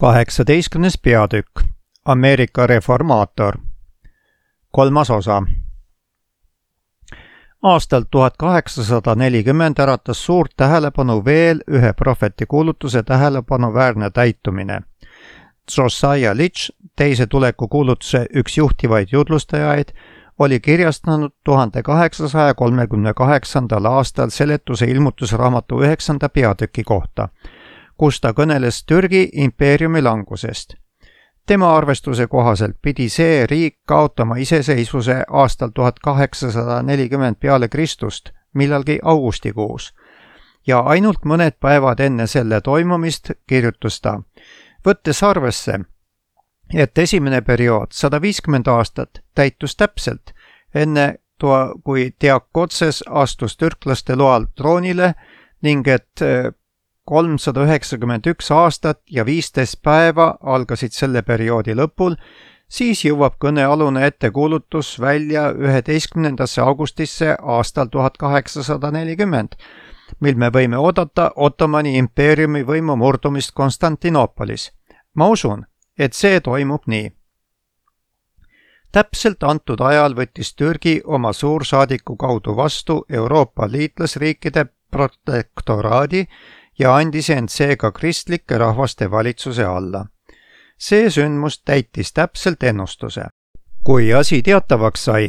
18. peatükk Ameerika reformaator. 3. osa. Aastal 1840 äratas suurt tähelepanu veel ühe prohveti kuulutuse tähelepanuväärne täitumine. Josiah Litch, teise tuleku kuulutuse üks juhtivaid jutlustajaid, oli kirjastanud 1838. aastal seletuse ilmutusraamatu 9. peatüki kohta, kus ta kõneles Türgi impeeriumi langusest. Tema arvestuse kohaselt pidi see riik kaotama iseseisvuse aastal 1840 peale Kristust, millalgi augustikuus. Ja ainult mõned päevad enne selle toimumist kirjutas ta, võttes arvesse, et esimene periood, 150 aastat, täitus täpselt enne kui Diakotses astus türklaste loal troonile ning et 391 aastat ja 15 päeva algasid selle perioodi lõpul, siis jõuab kõnealune ettekuulutus välja 11. augustisse aastal 1840, mil me võime oodata Ottomani impeeriumi võimu murdumist Konstantinoopolis. Ma usun, et see toimub nii. Täpselt antud ajal võttis Türgi oma suursaadiku kaudu vastu Euroopa liitlasriikide protektoraadi ja andis end seega kristlike rahvaste valitsuse alla. See sündmus täitis täpselt ennustuse. Kui asi teatavaks sai,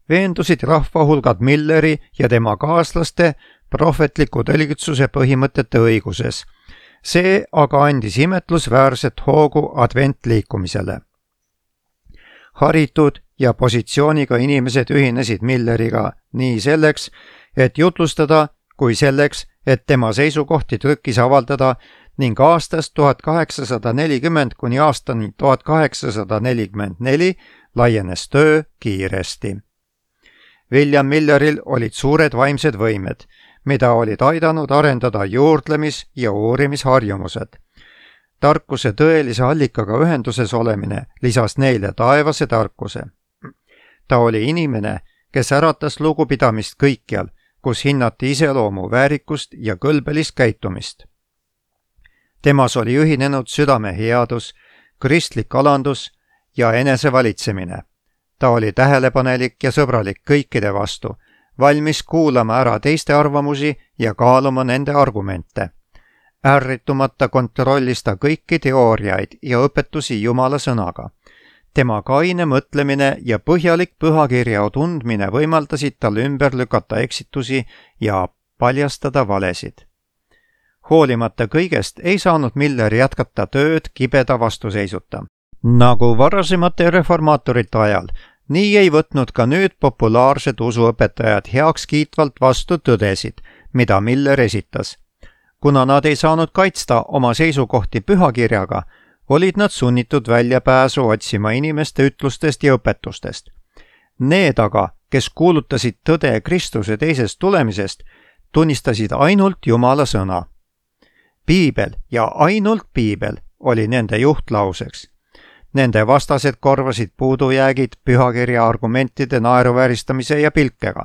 veendusid rahvahulgad Milleri ja tema kaaslaste prohvetliku tõlgitsuse põhimõtete õiguses. See aga andis imetlusväärset hoogu adventliikumisele. Haritud ja positsiooniga inimesed ühinesid Milleriga nii selleks, et jutlustada, kui selleks, et tema seisukohti trükis avaldada ning aastast 1840 kuni aastani 1844 laienes töö kiiresti. William Milleril olid suured vaimsed võimed, mida olid aidanud arendada juurdlemis- ja uurimisharjumused. Tarkuse tõelise allikaga ühenduses olemine lisas neile taevase tarkuse. Ta oli inimene, kes äratas lugupidamist kõikjal, kus hinnati iseloomu väärikust ja kõlbelist käitumist. Temas oli ühinenud südame headus, kristlik alandus ja enesevalitsemine. Ta oli tähelepanelik ja sõbralik kõikide vastu, valmis kuulama ära teiste arvamusi ja kaaluma nende argumente. Ärritumata kontrollis ta kõiki teooriaid ja õpetusi Jumala sõnaga. Tema kaine mõtlemine ja põhjalik pühakirja tundmine võimaldasid tal ümber lükata eksitusi ja paljastada valesid. Hoolimata kõigest ei saanud Miller jätkata tööd kibeda vastuseisuta. Nagu varasemate reformaatorite ajal, nii ei võtnud ka nüüd populaarsed usuõpetajad heaks kiitvalt vastu tõdesid, mida Miller esitas. Kuna nad ei saanud kaitsta oma seisukohti pühakirjaga, olid nad sunnitud väljapääsu otsima inimeste ütlustest ja õpetustest. Need aga, kes kuulutasid tõde Kristuse teisest tulemisest, tunnistasid ainult Jumala sõna. Piibel ja ainult Piibel oli nende juhtlauseks. Nende vastased korvasid puudujäägid pühakirja argumentide naeruvääristamise ja pilkega.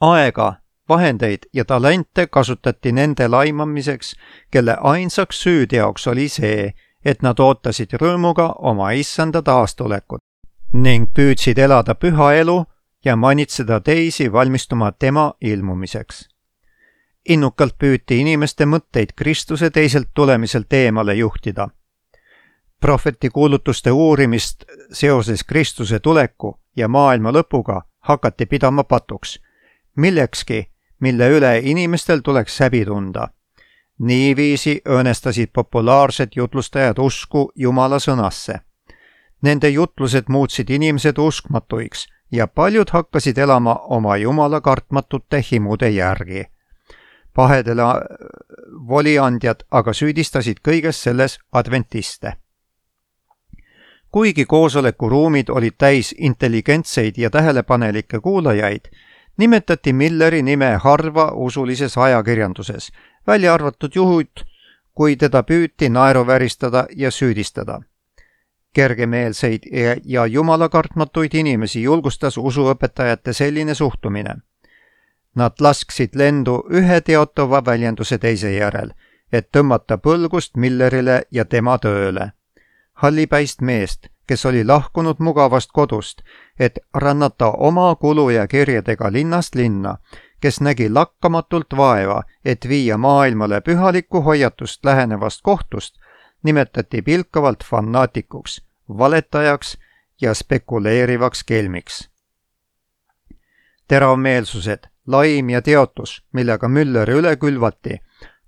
Aega, vahendeid ja talente kasutati nende laimamiseks, kelle ainsaks süüteoks oli see, et nad ootasid rõõmuga oma issanda taastulekut ning püüdsid elada püha elu ja manitseda teisi valmistuma tema ilmumiseks. Innukalt püüti inimeste mõtteid Kristuse teiselt tulemiselt eemale juhtida. Prohveti kuulutuste uurimist seoses Kristuse tuleku ja maailma lõpuga hakati pidama patuks, millekski, mille üle inimestel tuleks häbi tunda. Niiviisi õõnestasid populaarsed jutlustajad usku Jumala sõnasse. Nende jutlused muutsid inimesed uskmatuiks ja paljud hakkasid elama oma Jumala kartmatute himude järgi. Pahedele voliandjad aga süüdistasid kõiges selles adventiste. Kuigi koosolekuruumid olid täis intelligentseid ja tähelepanelikke kuulajaid, nimetati Milleri nime harva usulises ajakirjanduses, välja arvatud juhud, kui teda püüti naeruvääristada ja süüdistada. Kergemeelseid ja jumalakartmatuid inimesi julgustas usuõpetajate selline suhtumine. Nad lasksid lendu ühe teotava väljenduse teise järel, et tõmmata põlgust Millerile ja tema tööle. Hallipäist meest, kes oli lahkunud mugavast kodust, et rannata oma kulu ja kirjadega linnast linna, kes nägi lakkamatult vaeva, et viia maailmale pühalikku hoiatust lähenevast kohtust, nimetati pilkavalt fanaatikuks, valetajaks ja spekuleerivaks kelmiks. Teravmeelsused, laim ja teotus, millega Mülleri üle külvati,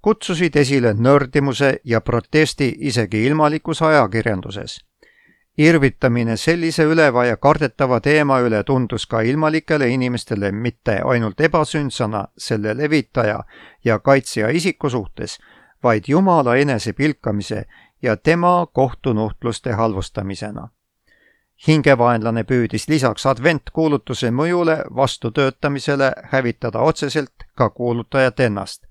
kutsusid esile nördimuse ja protesti isegi ilmalikus ajakirjanduses. Irvitamine sellise üleva ja kardetava teema üle tundus ka ilmalikele inimestele mitte ainult ebasündsana selle levitaja ja kaitsja isiku suhtes, vaid Jumala enese pilkamise ja tema kohtunuhtluste halvustamisena. Hingevaenlane püüdis lisaks adventkuulutuse mõjule vastutöötamisele hävitada otseselt ka kuulutajat ennast.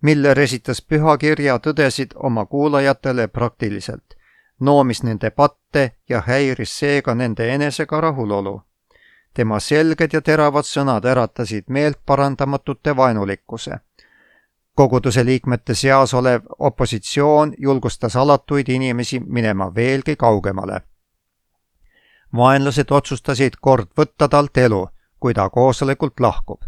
Miller esitas pühakirja tõdesid oma kuulajatele praktiliselt, noomis nende patte ja häiris seega nende enesega rahulolu. Tema selged ja teravad sõnad äratasid meelt parandamatute vaenulikkuse. Koguduse liikmete seas olev opositsioon julgustas alatuid inimesi minema veelgi kaugemale. Vaenlased otsustasid kord võtta talt elu, kui ta koosolekult lahkub.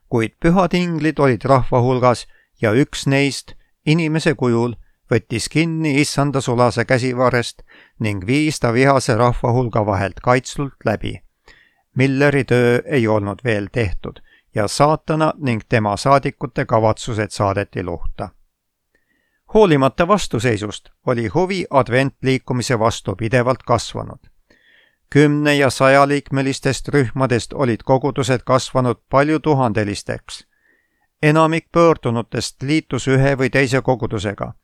Kuid pühad inglid olid rahva hulgas ja üks neist, inimese kujul, võttis kinni issanda sulase käsivarrest ning viis ta vihase rahva hulga vahelt kaitslult läbi. Milleri töö ei olnud veel tehtud ja saatana ning tema saadikute kavatsused saadeti luhta. Hoolimata vastuseisust oli huvi adventliikumise vastu pidevalt kasvanud. 10- ja 100-liikmelistest rühmadest olid kogudused kasvanud palju tuhandelisteks. Enamik pöördunutest liitus ühe või teise kogudusega,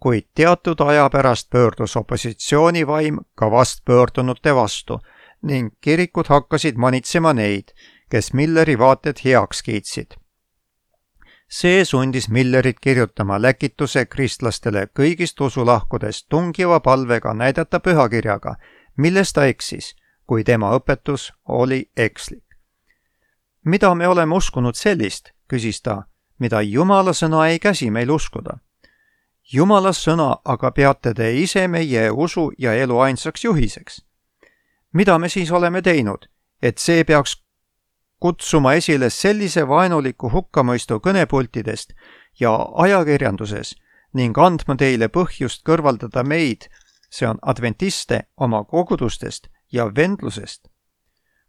kuid teatud aja pärast pöördus opositsioonivaim ka vastpöördunute vastu ning kirikud hakkasid manitsema neid, kes Milleri vaated heaks kiitsid. See sundis Millerit kirjutama läkituse kristlastele kõigist usulahkudest tungiva palvega näidata pühakirjaga, milles ta eksis, kui tema õpetus oli ekslik. Mida me oleme uskunud sellist, küsis ta, mida Jumala sõna ei käsi meil uskuda. Jumala sõna aga peate te ise meie usu ja elu ainsaks juhiseks. Mida me siis oleme teinud, et see peaks kutsuma esile sellise vaenuliku hukkamõistu kõnepultidest ja ajakirjanduses ning andma teile põhjust kõrvaldada meid, see on adventiste, oma kogudustest ja vendlusest.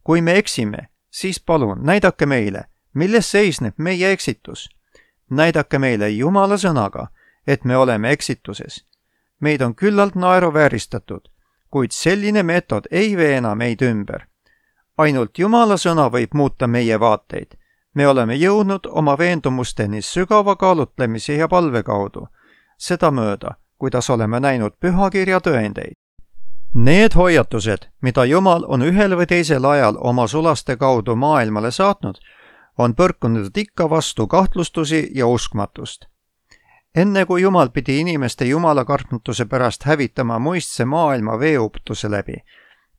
Kui me eksime, siis palun näidake meile, milles seisneb meie eksitus. Näidake meile Jumala sõnaga, et me oleme eksituses. Meid on küllalt naeruvääristatud, kuid selline meetod ei veena meid ümber. Ainult Jumala sõna võib muuta meie vaateid. Me oleme jõudnud oma veendumusteni sügava kaalutlemise ja palve kaudu, seda mööda, kuidas oleme näinud pühakirja tõendeid. Need hoiatused, mida Jumal on ühel või teisel ajal oma sulaste kaudu maailmale saatnud, on põrkunud ikka vastu kahtlustusi ja uskmatust. Enne kui Jumal pidi inimeste jumalakartmatuse pärast hävitama muistse maailma veeuptuse läbi,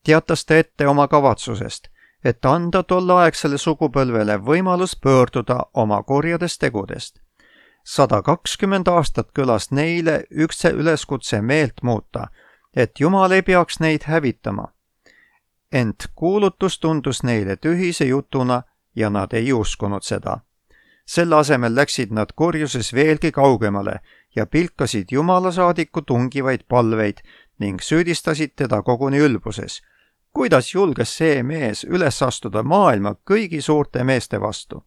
teatas ta ette oma kavatsusest, et anda tolleaegsele sugupõlvele võimalus pöörduda oma kurjadest tegudest. 120 aastat kõlas neile üks üleskutse meelt muuta, et Jumal ei peaks neid hävitama. Ent kuulutus tundus neile tühise jutuna ja nad ei uskunud seda. Selle asemel läksid nad kurjuses veelgi kaugemale ja pilkasid Jumala saadiku tungivaid palveid ning süüdistasid teda koguni ülbuses. Kuidas julges see mees üles astuda maailma kõigi suurte meeste vastu?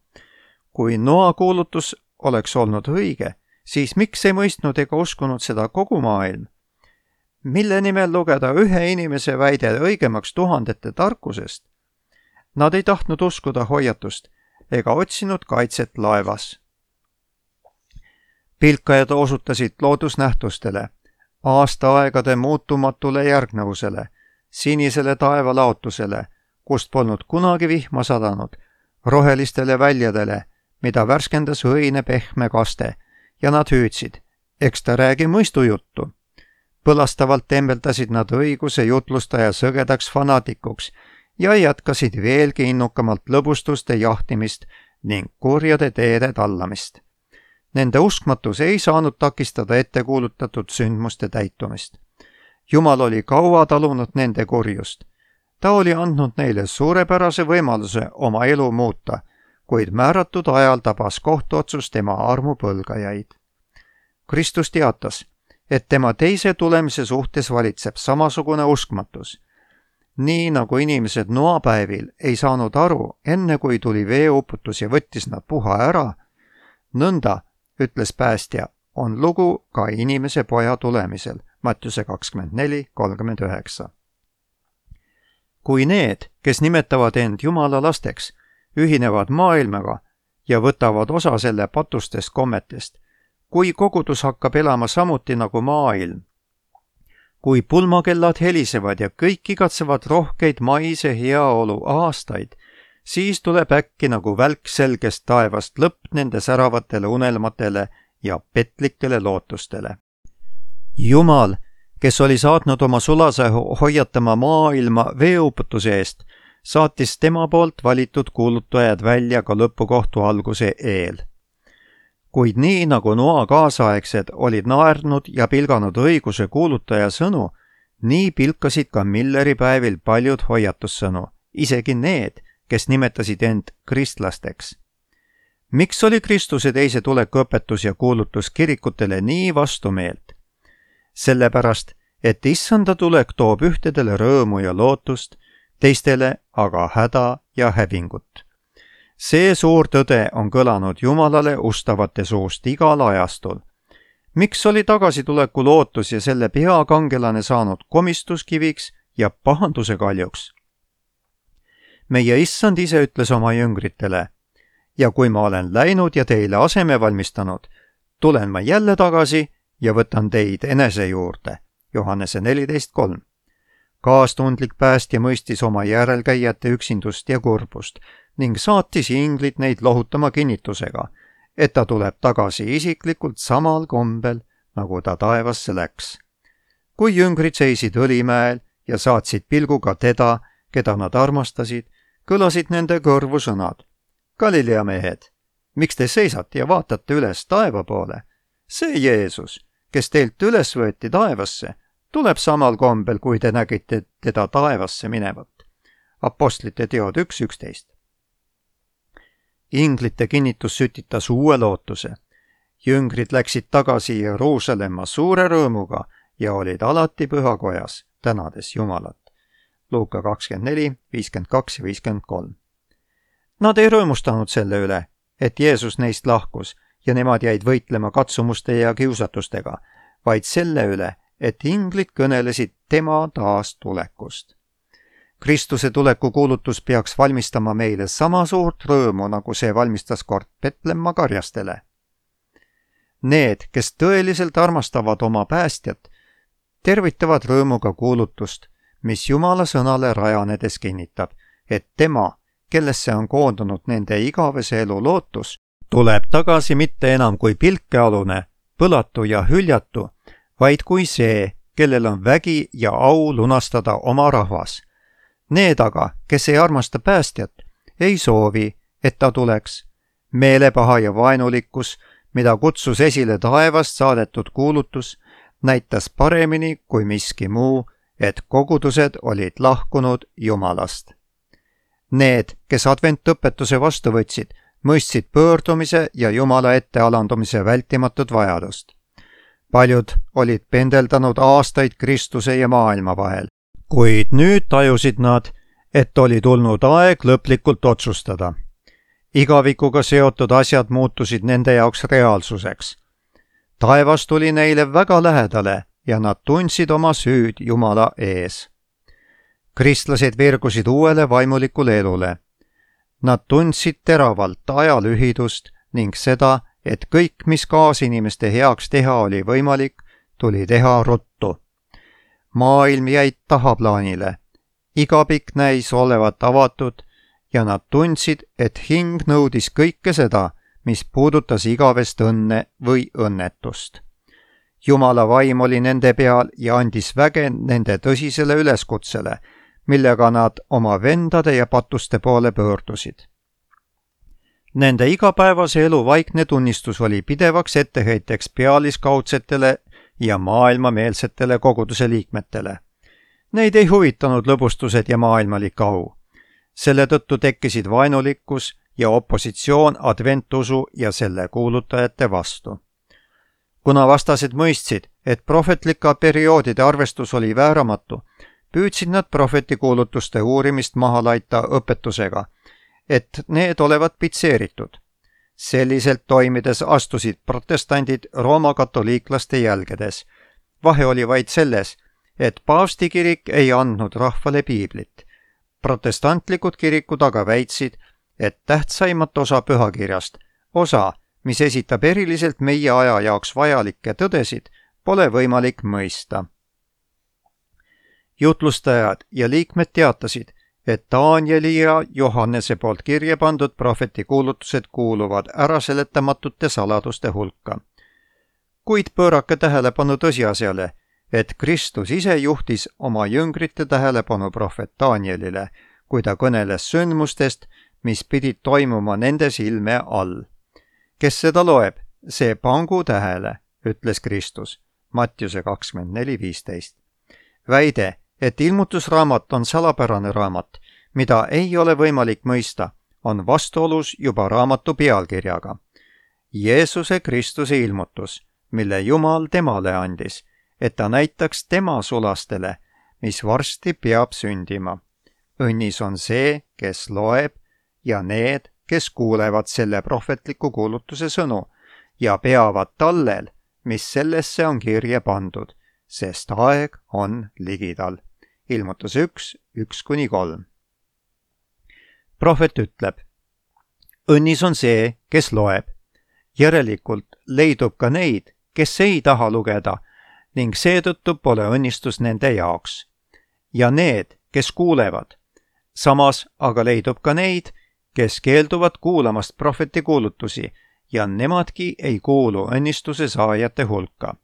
Kui Noa kuulutus oleks olnud õige, siis miks ei mõistnud ega uskunud seda kogu maailm? Mille nimel lugeda ühe inimese väide õigemaks tuhandete tarkusest? Nad ei tahtnud uskuda hoiatust ega otsinud kaitset laevas. Pilkajad osutasid loodusnähtustele, aastaaegade muutumatule järgnevusele, sinisele taevalaotusele, kust polnud kunagi vihma sadanud, rohelistele väljadele, mida värskendas õine pehme kaste, ja nad hüüdsid, eks ta räägi mõistujuttu. Põlastavalt tembeldasid nad õiguse jutlustaja sõgedaks fanaatikuks ja jätkasid veelgi innukamalt lõbustuste jahtimist ning kurjade teede tallamist. Nende uskmatus ei saanud takistada ettekuulutatud sündmuste täitumist. Jumal oli kaua talunud nende kurjust. Ta oli andnud neile suurepärase võimaluse oma elu muuta, kuid määratud ajal tabas kohtuotsus tema armupõlgajaid. Kristus teatas, et tema teise tulemise suhtes valitseb samasugune uskmatus. Nii nagu inimesed noapäevil ei saanud aru, enne kui tuli veeuputus ja võttis nad puha ära, nõnda, ütles päästja, on lugu ka inimese poja tulemisel, Mattiuse 24:39. Kui need, kes nimetavad end Jumala lasteks, ühinevad maailmaga ja võtavad osa selle patustest kommetest, kui kogudus hakkab elama samuti nagu maailm, kui pulmakellad helisevad ja kõik igatsevad rohkeid maise heaolu aastaid, siis tuleb äkki nagu välk selgest taevast lõpp nende säravatele unelmatele ja petlikele lootustele. Jumal, kes oli saatnud oma sulase hoiatama maailma veeuputuse eest, saatis tema poolt valitud kuulutajad välja ka lõpukohtu alguse eel. Kuid nii nagu Noa kaasaegsed olid naernud ja pilganud õiguse kuulutaja sõnu, nii pilkasid ka Milleri päevil paljud hoiatussõnu, isegi need, kes nimetasid end kristlasteks. Miks oli Kristuse teise tuleku õpetus ja kuulutus kirikutele nii vastumeelt? Sellepärast, et issanda tulek toob ühtedele rõõmu ja lootust, teistele aga häda ja hävingut. See suur tõde on kõlanud Jumalale ustavate suust igal ajastul. Miks oli tagasituleku lootus ja selle peakangelane saanud komistuskiviks ja pahanduse kaljuks? Meie issand ise ütles oma jüngritele, ja kui ma olen läinud ja teile aseme valmistanud, tulen ma jälle tagasi ja võtan teid enese juurde. Johannese 14:3. Kaastundlik päästja mõistis oma järelkäijate üksindust ja kurbust ning saatis inglid neid lohutama kinnitusega, et ta tuleb tagasi isiklikult samal kombel, nagu ta taevasse läks. Kui jüngrid seisid Õlimäel ja saatsid pilguga teda, keda nad armastasid, kõlasid nende kõrvu sõnad. Galilea mehed, miks te seisate ja vaatate üles taeva poole? See Jeesus, kes teilt üles võeti taevasse, tuleb samal kombel, kui te nägite teda taevasse minevat. Apostlite teod 1:11. Inglite kinnitus sütitas uue lootuse. Jüngrid läksid tagasi Jeruusalemma suure rõõmuga ja olid alati pühakojas, tänades Jumalat. Luuka 24:52-53. Nad ei rõõmustanud selle üle, et Jeesus neist lahkus ja nemad jäid võitlema katsumuste ja kiusatustega, vaid selle üle, et inglid kõnelesid tema taastulekust. Kristuse tuleku kuulutus peaks valmistama meile sama suurt rõõmu, nagu see valmistas kord Petlemma karjastele. Need, kes tõeliselt armastavad oma päästjat, tervitavad rõõmuga kuulutust, mis Jumala sõnale rajanedes kinnitab, et tema, kellesse on koondunud nende igavese elu lootus, tuleb tagasi mitte enam kui pilkealune, põlatu ja hüljatu, vaid kui see, kellel on vägi ja au lunastada oma rahvas. Need aga, kes ei armasta päästjat, ei soovi, et ta tuleks. Meelepaha ja vaenulikkus, mida kutsus esile taevast saadetud kuulutus, näitas paremini kui miski muu, et kogudused olid lahkunud Jumalast. Need, kes adventõpetuse vastu võtsid, mõistsid pöördumise ja Jumala ette alandumise vältimatut vajadust. Paljud olid pendeldanud aastaid Kristuse ja maailma vahel, kuid nüüd tajusid nad, et oli tulnud aeg lõplikult otsustada. Igavikuga seotud asjad muutusid nende jaoks reaalsuseks. Taevas tuli neile väga lähedale ja nad tundsid oma süüd Jumala ees. Kristlased virgusid uuele vaimulikule elule. Nad tundsid teravalt aja lühidust ning seda, et kõik, mis kaasinimeste heaks teha oli võimalik, tuli teha ruttu. Maailm jäid tahaplaanile, igapik näis olevat avatud ja nad tundsid, et hing nõudis kõike seda, mis puudutas igavest õnne või õnnetust. Jumala vaim oli nende peal ja andis väge nende tõsisele üleskutsele, millega nad oma vendade ja patuste poole pöördusid. Nende igapäevase elu vaikne tunnistus oli pidevaks etteheiteks pealiskaudsetele ja maailmameelsetele koguduse liikmetele. Neid ei huvitanud lõbustused ja maailmalik au. Selle tõttu tekkisid vaenulikkus ja opositsioon adventusu ja selle kuulutajate vastu. Kuna vastased mõistsid, et prohvetlike perioodide arvestus oli vääramatu, püüdsid nad prohvetikuulutuste uurimist maha laita õpetusega, et need olevat pitseeritud. Selliselt toimides astusid protestandid Rooma katoliiklaste jälgedes. Vahe oli vaid selles, et paavsti kirik ei andnud rahvale piiblit. Protestantlikud kirikud aga väitsid, et tähtsaimat osa pühakirjast, osa, mis esitab eriliselt meie aja jaoks vajalikke tõdesid, pole võimalik mõista. Jutlustajad ja liikmed teatasid, et Danieli ja Johannese poolt kirja pandud prohvetikuulutused kuuluvad äraseletamatute saladuste hulka. Kuid pöörake tähelepanu tõsiasjale, et Kristus ise juhtis oma jüngrite tähelepanu prohvet Danielile, kui ta kõneles sündmustest, mis pidid toimuma nende silme all. Kes seda loeb, see pangu tähele, ütles Kristus. Mattiuse 24:15. Väide, et ilmutusraamat on salapärane raamat, mida ei ole võimalik mõista, on vastuolus juba raamatu pealkirjaga. Jeesuse Kristuse ilmutus, mille Jumal temale andis, et ta näitaks tema sulastele, mis varsti peab sündima. Õnnis on see, kes loeb, ja need, kes kuulevad selle prohvetliku kuulutuse sõnu ja peavad tallel, mis sellesse on kirja pandud, sest aeg on ligidal. Ilmutus 1:1-3. Prohvet ütleb, õnnis on see, kes loeb. Järelikult leidub ka neid, kes ei taha lugeda ning seetõttu pole õnnistus nende jaoks. Ja need, kes kuulevad. Samas aga leidub ka neid, kes keelduvad kuulamast prohveti kuulutusi ja nemadki ei kuulu õnnistuse saajate hulka.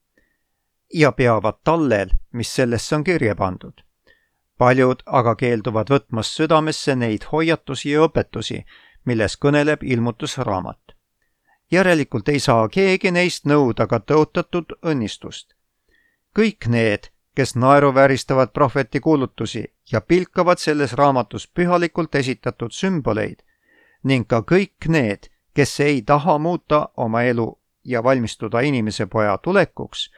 Ja peavad tallel, mis sellesse on kirja pandud. Paljud aga keelduvad võtmas südamesse neid hoiatusi ja õpetusi, milles kõneleb ilmutusraamat. Järelikult ei saa keegi neist nõuda ka tõotatud õnnistust. Kõik need, kes naeruvääristavad prohveti kuulutusi ja pilkavad selles raamatus pühalikult esitatud sümboleid, ning ka kõik need, kes ei taha muuta oma elu ja valmistuda inimese poja tulekuks,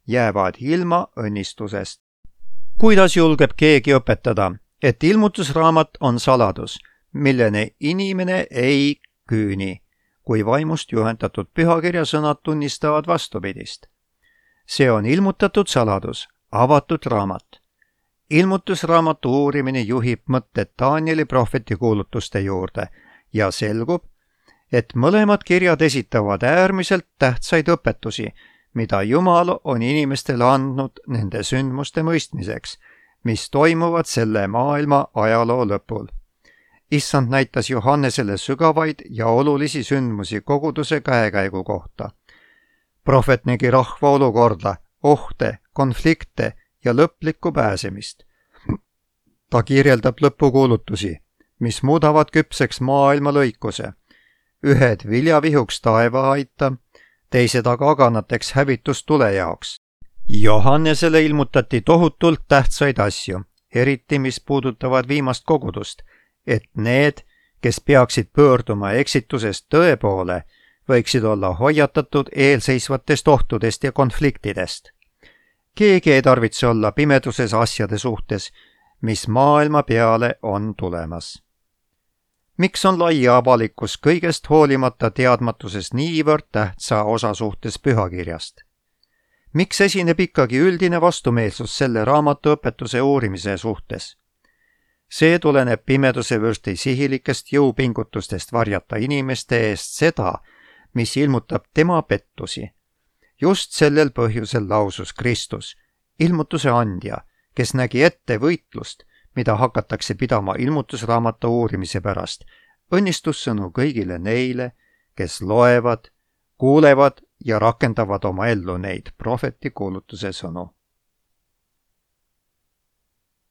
jäävad ilma õnnistusest. Kuidas julgeb keegi õpetada, et ilmutusraamat on saladus, milleni inimene ei küüni, kui vaimust juhendatud pühakirja sõnad tunnistavad vastupidist? See on ilmutatud saladus, avatud raamat. Ilmutusraamatu uurimine juhib mõtted Danieli prohveti kuulutuste juurde ja selgub, et mõlemad kirjad esitavad äärmiselt tähtsaid õpetusi, mida Jumal on inimestele andnud nende sündmuste mõistmiseks, mis toimuvad selle maailma ajaloo lõpul. Issand näitas Johannesele sügavaid ja olulisi sündmusi koguduse käekäigu kohta. Prohvet nägi rahva olukorda, ohte, konflikte ja lõplikku pääsemist. Ta kirjeldab lõpukuulutusi, mis muudavad küpseks maailma lõikuse. Ühed viljavihuks taeva aita, teised aga aganateks hävitustule jaoks. Johannesele ilmutati tohutult tähtsaid asju, eriti mis puudutavad viimast kogudust, et need, kes peaksid pöörduma eksitusest tõe poole, võiksid olla hoiatatud eelseisvatest ohtudest ja konfliktidest. Keegi ei tarvitse olla pimeduses asjade suhtes, mis maailma peale on tulemas. Miks on laia avalikkus kõigest hoolimata teadmatuses niivõrd tähtsa osa suhtes pühakirjast? Miks esineb ikkagi üldine vastumeelsus selle raamatu õpetuse uurimise suhtes? See tuleneb pimeduse vürsti sihilikest jõupingutustest varjata inimeste eest seda, mis ilmutab tema pettusi. Just sellel põhjusel lausus Kristus, ilmutuse andja, kes nägi ette võitlust, mida hakatakse pidama ilmutusraamatu uurimise pärast, õnnistussõnu kõigile neile, kes loevad, kuulevad ja rakendavad oma ellu neid prohveti kuulutuse sõnu.